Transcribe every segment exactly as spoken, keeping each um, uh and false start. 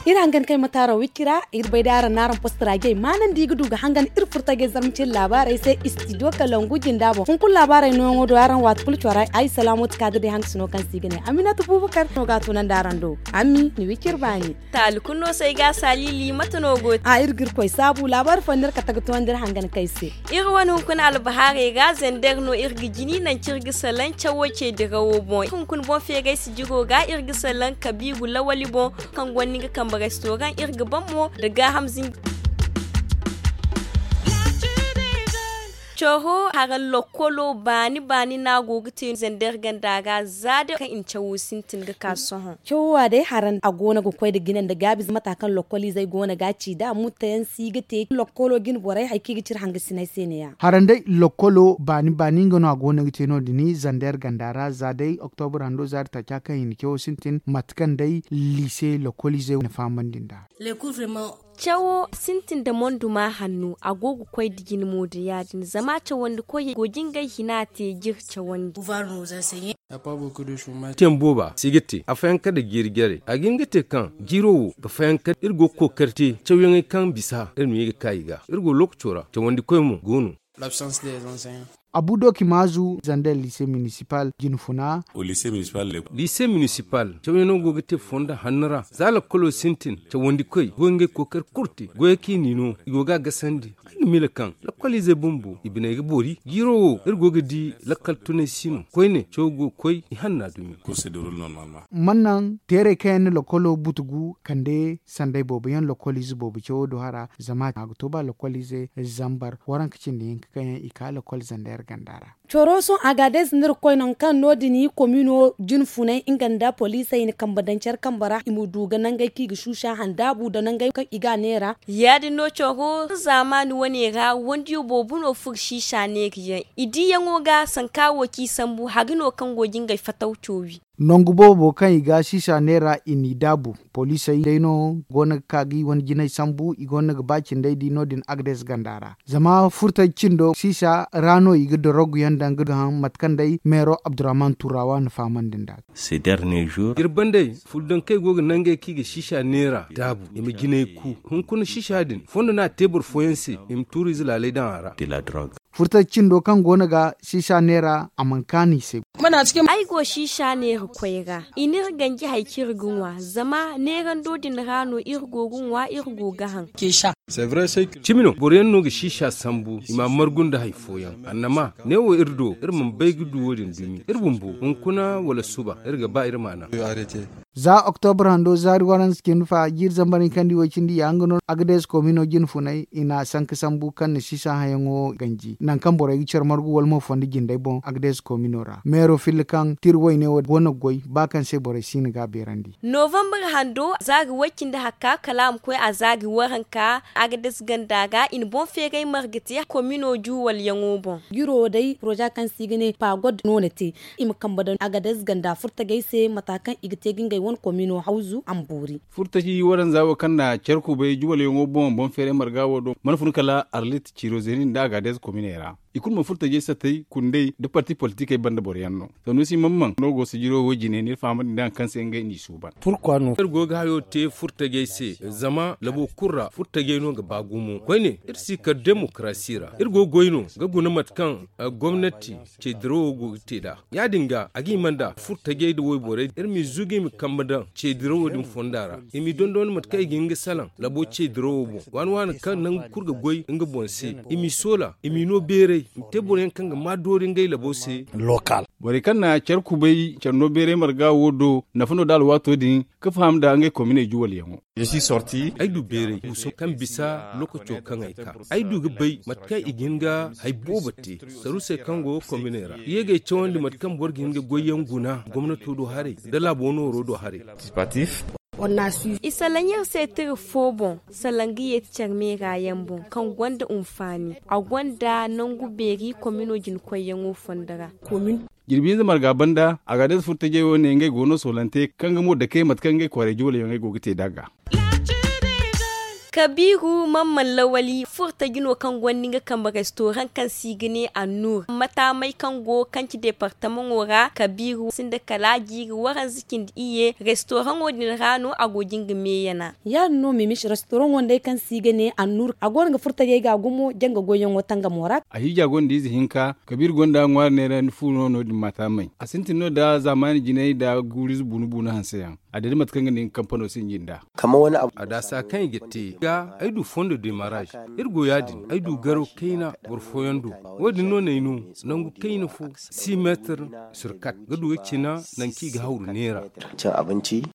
Iri hangan kay ma taaro wicci ra. Iri bay da araŋ na araŋ post ra jey maanandi ga du ga hangan iri furtajey zarma cine laabaarey se istidiyo kalangu jinda boŋ hunkuna laabaarey nooyaŋo do araŋ waati kulu cora ay salaamooti kaadiri day hangasino kaŋ se i ga ne aminatu bubakar no ga a tunandi araŋ do. Ammi ni wicci iri baani. Taali kulu no se ay ga a saalili mate no go te? A iri ga iri koy saabu laabaari fooyaŋ no iri kate ga toonandi iri hangan kay se. Iri wane hunkuna albahaarey ra zander no iri ga jini nanci iri ga salaŋ cawo ce dirawo boŋ hunkuna boŋ feeray sijiro ga iri ga salaŋ kabiiru lawali boŋ kaŋ gonda nga kambe restoran iri ga baŋ mo nda gaaham zinji. Coro hara lokkolo baani baani no a go ga te zander ganda ra za day kaŋ i na cawo sintin ga ka sohõ. Cawo wa day hara a go no ga koy nda jine nda gaabi zama mata kaŋ lokkoliizey go no ga a ci nd'a mutayaŋ si ga te lokkolo jine borey hari kaŋ i ga cire hangasiney se ne- ya. Haranday lokkolo baani baani nga no a go no ga te no- din zander ganda ra za day oktobra hando za day taaca kaŋ i na cawo sintin mate kaŋ day liise lokkoliizey na fahamandi nd'a. Cawo sintin nda monduma hanno a go ga koy nda jine mo nda ya- din zama cawandi koyey go ga ngey hina te ga iri cawandi. Te booba si ga te a fayanka nda jiiri jarey a ga hin ga te kaŋ jiiro wo ga fayanka iri go ga kookari te cawyaŋey kaŋ bisa iri ma ye ga ka i ga iri go lookaco ra cawandi koy mo go no. Abu doki maazu zander liise minisipal jinfuna. Liise minisipal cawyaŋo go ga te fondo hanno ra za lakkolo sintin cawandi koy go ga ngey kookari kulu te goyey kaŋ i n'i no i go ga a gasandi. Ay ga miila kaŋ lakkoliizey bumbo i biney ga boori jiiro wo iri go ga di lakkal tunay si no koyne cawo go ga koy i hanna dumi. Mannaŋ teerey kaŋ yaŋ na lakkolo butugu kande sanday boobo yaŋ lakkoliize boobo cawo do hara zama a ga to ba lakkoliize zambar waranka cindi hinka kaŋ yaŋ i ka lakkol zander ganda ra. Coro sohõ agaadez no iri ga koy nangu kaŋ no- din komino jinfunay nga nda poliisey na kambe daŋ care kambe ra i ma du ga nangey kaŋ i ga suusa handaabu nda nangey kaŋ i ga a neera. Ya- din no coro zaamaani wane ra wandiyo boobo no furo siisa neerayaŋ i diiyaŋo ga sanka wo kaŋ i sambu hari no kaŋ go ga ngey fataw coowi. Nangu boobo kaŋ i ga siisa neera i n'i daabu poliisey day no go no ga ka ga i wane jinay sambu i go no ga ba cindey di no- din agades ganda ra. Zama furtaji cindo siisa ra no i ga dorogu yaŋ daŋ ga haŋ mate kaŋ day meero abdurrahman turawa na fahamandi nd'a. Iri bandey fuldankey go ga nangey kaŋ i ga siisa neera daabu i ma jinay ku hunkuna siisa din fondo no a te boro fooyaŋ se i ma tuuriize laaley daŋ a ra. Furtaji cindo kaŋ go no ga siisa neera a mana kaanu i se. Ay go siisa neera koy ra i n'iri ganji hari kaŋ iri ga ŋwa zama neerando din ra no iri go ga ŋwa iri go ga haŋ. Cimi no boro yaŋ no ga siisa sambu i ma a margu nda hari fooyaŋ annama neewo iri do iri mana bay ga du wo- din dumi iri bumbo hunkuna wala suba iri ga ba iri ma a naŋ. Za oktobra hando zaari waranza cindi fa jiiri zambar hinkandi way cindi ya nga no agades komino jinfunay i na a sanka sambu kaŋ na siisa hayaŋo ganji nangu kaŋ borey ga care margu wala mo fondo jindey boŋ agades komino ra meero filla kaŋ tira wayne wo go no ga goy ba kaŋ se borey si no ga a beerandi. Novambar hando zaari way cindi hakka kala a ma koy a zaari waranka agades ganda ga i na boŋ feeray marga te komino juwalyaŋo boŋ. Jiro wo day poroza kaŋ se i ga ne pagod no na te i ma kambe daŋ agades ganda furtajey se mata kaŋ i ga te ga ngey wane komino hawzu a ma boori. Furtaji waranza wo kaŋ na care kubay juwalyaŋo boŋ boŋ feeray marga wo do mana fun kala arlit ciiro zeeni nda agades kominey ra i kulu mana furtajey satay kundey nda parti politikey banda boro yaŋ no. Sanusi mamman no go sijiro wo jine n'iri fahamandi nda hari kaŋ se ngey n'i suuban. Iri go ga hayo te furtajey se zama labo kulu ra furtajey no ga ba gumo koyne iri si kar demokarasi ra iri go ga goy no ga guna mate kaŋ gomnati ce dirawo go ga te nd'a. Ya- din ga a ga hima nda furtajey nda wayborey iri m'i zugu i ma kambe daŋ ce dirawo din fonda ra i m'i dondon mate kaŋ i ga hin ga salaŋ labo ce dirawo boŋ waani waani kaŋ nangu kulu ga goy nga boŋ se i m'i soola i m'i no beeray i ma te boro yaŋ kaŋ ga maa doori ngey labo se. Borey kaŋ na care kubay care no beeray marga wo do nafa no nda alwaato din ga faham nda ngey kominey juwalyaŋo. Ay du beeray guuso kaŋ bisa lookaco kaŋ ay ka ay du ga bay mate kaŋ i ga hin ga hari boobo te sarusey kaŋ go kominey ra i ye ga ay cawandi mate kaŋ boro ga hin ga goyyaŋ guna gomnato do haray nda laabo nooro do haray. I salaŋ iri se tira fo boŋ, salaŋ ga yeeti care meera yaŋ boŋ kaŋ gonda hunfaani. A gonda nangu beeri komino jina koyyaŋo fondo ra. Jirbi hinza marga banda a ga adayze furtajey wo ne ngey go no soolante kaŋ ga mo dake mate kaŋ ngey kwaarey jooley yaŋ ay go ga te nd'a ga. Kabiiru man man lawali furtaji no kaŋ gonda nga kambe restoraŋ kaŋ se i ga ne annuur mataamay kaŋ go kaŋ ci departamaŋo ra kabiiru sinda kala jiiri waranza cindi iyye restoraŋo din ra no a go ga nga meeyana. Ya- din no mimis restoraŋo nd'ay kaŋ se i ga ne annuur a go no ga furtajey ga gumo janga goyyaŋo tangamo ra. A hiija gonda ize hinka kabiiru gonda ŋwaari neera ni fu no no- din mataamay a sintin no nda zaamaani jinay nda guuriize buunu buunu hanse yaŋ. A dira mate kaŋ ga ne nga kampano sinji nd'a. A daasa kaŋ i ga te ga ay du fondo demaraj. Iri go ya- din ay du garo kayna boro fooyaŋ do. Wo- din no n'ay no nangu kayna fo si meetir sur kat ga du ga cina nangu kaŋ i ga hawru neera.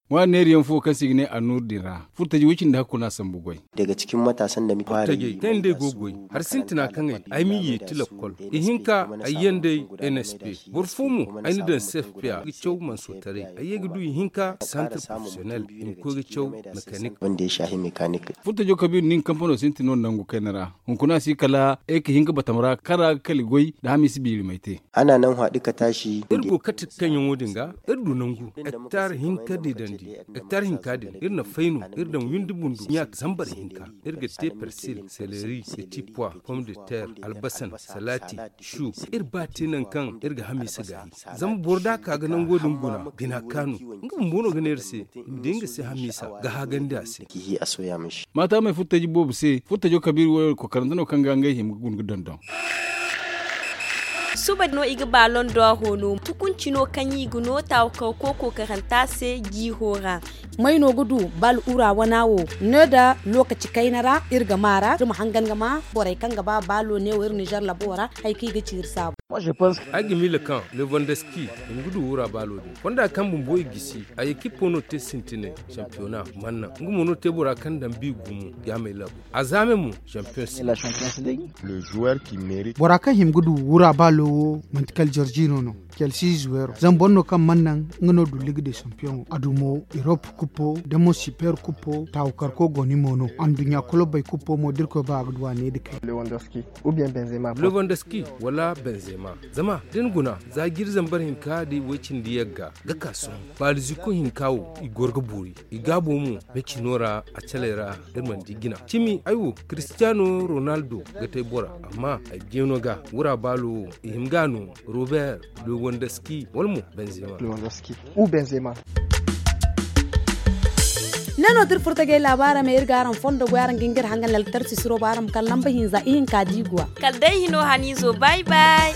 Ŋwaari neera yaŋ fo kaŋ se i ga ne annuur din ra furtaji way- cindi hakku no a sambu goy. Furtajey kaŋ yaŋ day go ga goy hari sintina kaŋ ay ay m'i yeeti lakkol. Ihinka ay yaŋ day n s p boro fo mo ay na daŋ cfpa ga caw manso taray ay ye ga du ihinka santar professionel i ma koy ga caw mekanik. Furtajo kabiiru nin kampano sintin no nangu kayna ra hunkuna si kala ay ga hin ga batam ra kaŋ ra ga kala goy nda hamiisa biiri may te. Iri go ga kate kaŋ yaŋo din ga iri du nangu hektar hinka din dandi. Hektar hinka din iri na fay no iri daŋ windi bundu ɲa zambar hinka. Iri ga te persil seleri petit pois pomme de terre albasan salati shu. Iri ba te nangu kaŋ iri ga hamiisa gaayi. Zama boro da a ka ga nango din guna bina kaanu nga bumbo no ga ne iri se i ma di nga se hamiisa ga haagandi a se. Maata may furtaji boobo se furtajo kabiiri wo kokarante no kaŋ ga ngey hima ga guna ga dondon. Suba no i ga ba londo a hoono tukunci no kaŋ i ga no taawakar kooko karanta se jiiro ra. May no ga du bal ura wana wo ne nda lokaci kayna ra iri ga ma ra iri ma hangan ga ma borey kaŋ ga ba balo ne wo iri nizer labo ra. Hari kaŋ i ga ci iri saabu. Ay ga miila kaŋ levandoski i ma ga du wura balo din fonda kaŋ bumbo i gisi a ekipo no te sintinay. Sampiyona manna nga mo no te bora kaŋ daŋ bi gumo. Yaamay labo a zaame mo. Sampiyon se. Bora kaŋ hima ga du wura balo wo manti kala jorjino no. Kelsi zuwero zama boro no kaŋ mana naŋ nga no du liga de sampiyoŋo a du mo erop kupo da mo siper kupo taawu karko go ni mo no anduɲɲa kolobey kupo mo da irkoy ba a ga du a ne da kay. Lewandoski wala benzema zama da ni guna za jiri zambar hinka da i way cindi yagga ga ka sohõ baaliziku hinka wo i goro ga boori. I gaabo mo mecino ra a caley ra da iri mana di jina cimi ay wo. Kristiyano ronaldo ga te bora amma ay jeeno ga wura baalo wo i hima ga no. Robert lewandoski wala mo benzema. Ne no da iri furtajey laabaara me iri ga araŋ fondo goy araŋ ga hin ga iri hangan laltar sisiro ba araŋ ma kala lamba hinza ihinka da i go a. Kala day hino haniizo bay bay.